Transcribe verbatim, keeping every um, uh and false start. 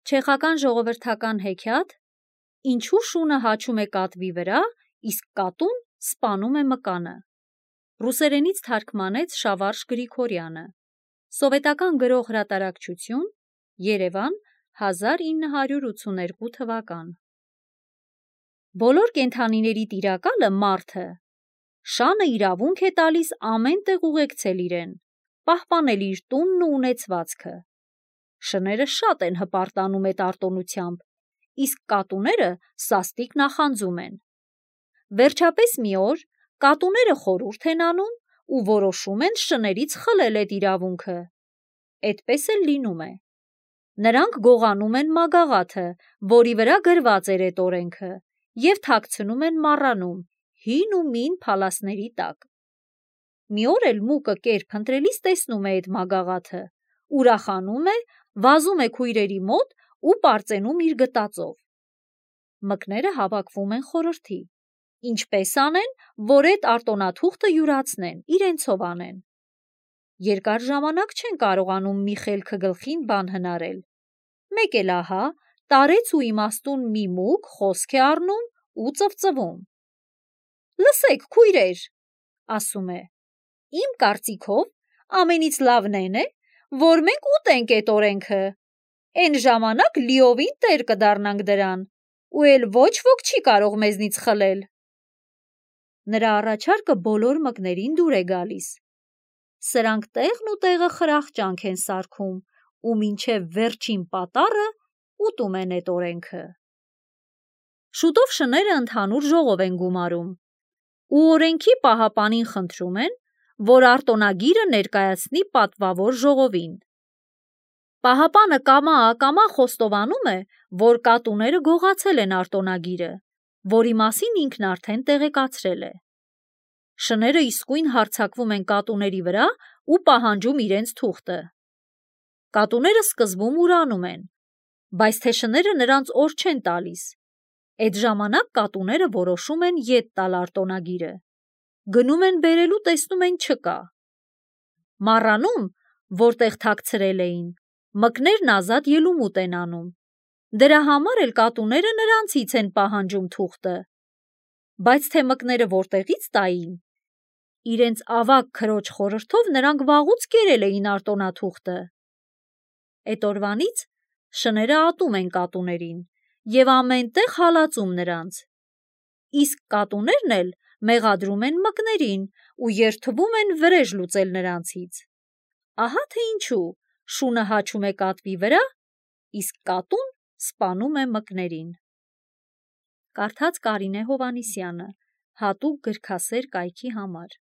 Չեխական ժողովրդական հեքիաթ «Ինչու շունը հաչում է կատվի վրա, իսկ կատուն սպանում է մկանը»։ Ռուսերենից թարգմանեց Շավարժ Գրիգորյանը։ Սովետական գրող հրատարակչություն, Երևան, հազար ինը հարյուր ութսուներկու թվական։ Բոլոր կենդանիների տիրակալը մարդը։ Շանը իրավունք է տալիս ամեն տեղ ուղեկցել իրեն, պահպանել իր տունն ու ունեցվածքը։ Շները շատ են հպարտանում այդ արտոնությամբ, իսկ կատուները սաստիկ նախանձում են։ Վերջապես մի օր կատուները խորհուրդ են անում ու որոշում են շներից խլել այդ իրավունքը։ Այդպես էլ լինում է։ Նրանք գողանում են մագաղաթը, որի վրա գրված էր այդ օրենքը, և թաքցնում են մառանում, հին ու մին փալասների տակ։ Մի օր էլ մուկը կեր փնտրելիս տեսնում է այդ մագաղաթը, ուրախանում է, վազում է քույրերի մոտ ու պարծենում իր գտածով։ Մկները հավաքվում են խորհրդի, ինչպես անեն, որ այդ արտոնաթուղթը յուրացնեն, իրենցով անեն։ Երկար ժամանակ չեն կարողանում մի խելքը գլխին բան հնարել։ Մեկ էլ ահա տարեց ու իմաստուն մի մուկ խոսք է առնում ու ծվծվում։ «Լսեք, քույրեր, ասում է, իմ կարծիքով ամենից լավն էն է, որ մենք ուտենք այդ օրենքը, էն ժամանակ լիովին տեր կդառնանք դրան, ու էլ ոչ ոք չի կարող մեզնից խլել»։ Նրա առաջարկը բոլոր մկներին դուր է գալիս։ Սրանք տեղն ու տեղը խրախճանք են սարքում ու մինչև վերջին պատառը ուտում են այդ օրենքը։ Շուտով շները ընդհանուր ժողով են գումարում ու օրենքի պահապանին խնդրում են, որ արտոնագիրը ներկայացնի պատվավոր ժողովին։ Պահապանը կամա-ակամա խոստովանում է, որ կատուները գողացել են արտոնագիրը, որի մասին ինքն արդեն տեղեկացրել է։ Շները իսկույն հարձակվում են կատուների վրա ու պահանջում իրենց թուղթը։ Կատուները սկզբում ուրանում են, բայց թե շները նրանց օր չեն տալիս։ Այդ ժամանակ կատուները որոշում են ետ տալ արտոնագիրը։ Գնում են բերելու, տեսնում են չկա։ Մառանում, որտեղ թաքցրել էին, մկներն ազատ ելումուտ են անում։ Դրա համար էլ կատուները նրանցից են պահանջում թուղթը։ Բայց թե մկները որտեղից տային։ Իրենց ավագ քրոջ խորհրդով նրանք վաղուց կերել էին արտոնաթուղթը։ Այդ օրվանից շները ատում են կատուներին և ամեն տեղ հալածում նրանց։ Իսկ կատուներն էլ մեղադրում են մկներին ու երդվում են վրեժ լուծել նրանցից։ Ահա թե ինչու շունը հաչում է կատվի վրա, իսկ կատուն սպանում է մկներին։ Կարդաց Կարինե Հովհաննիսյանը, հատուկ գրքասեր կայքի համար։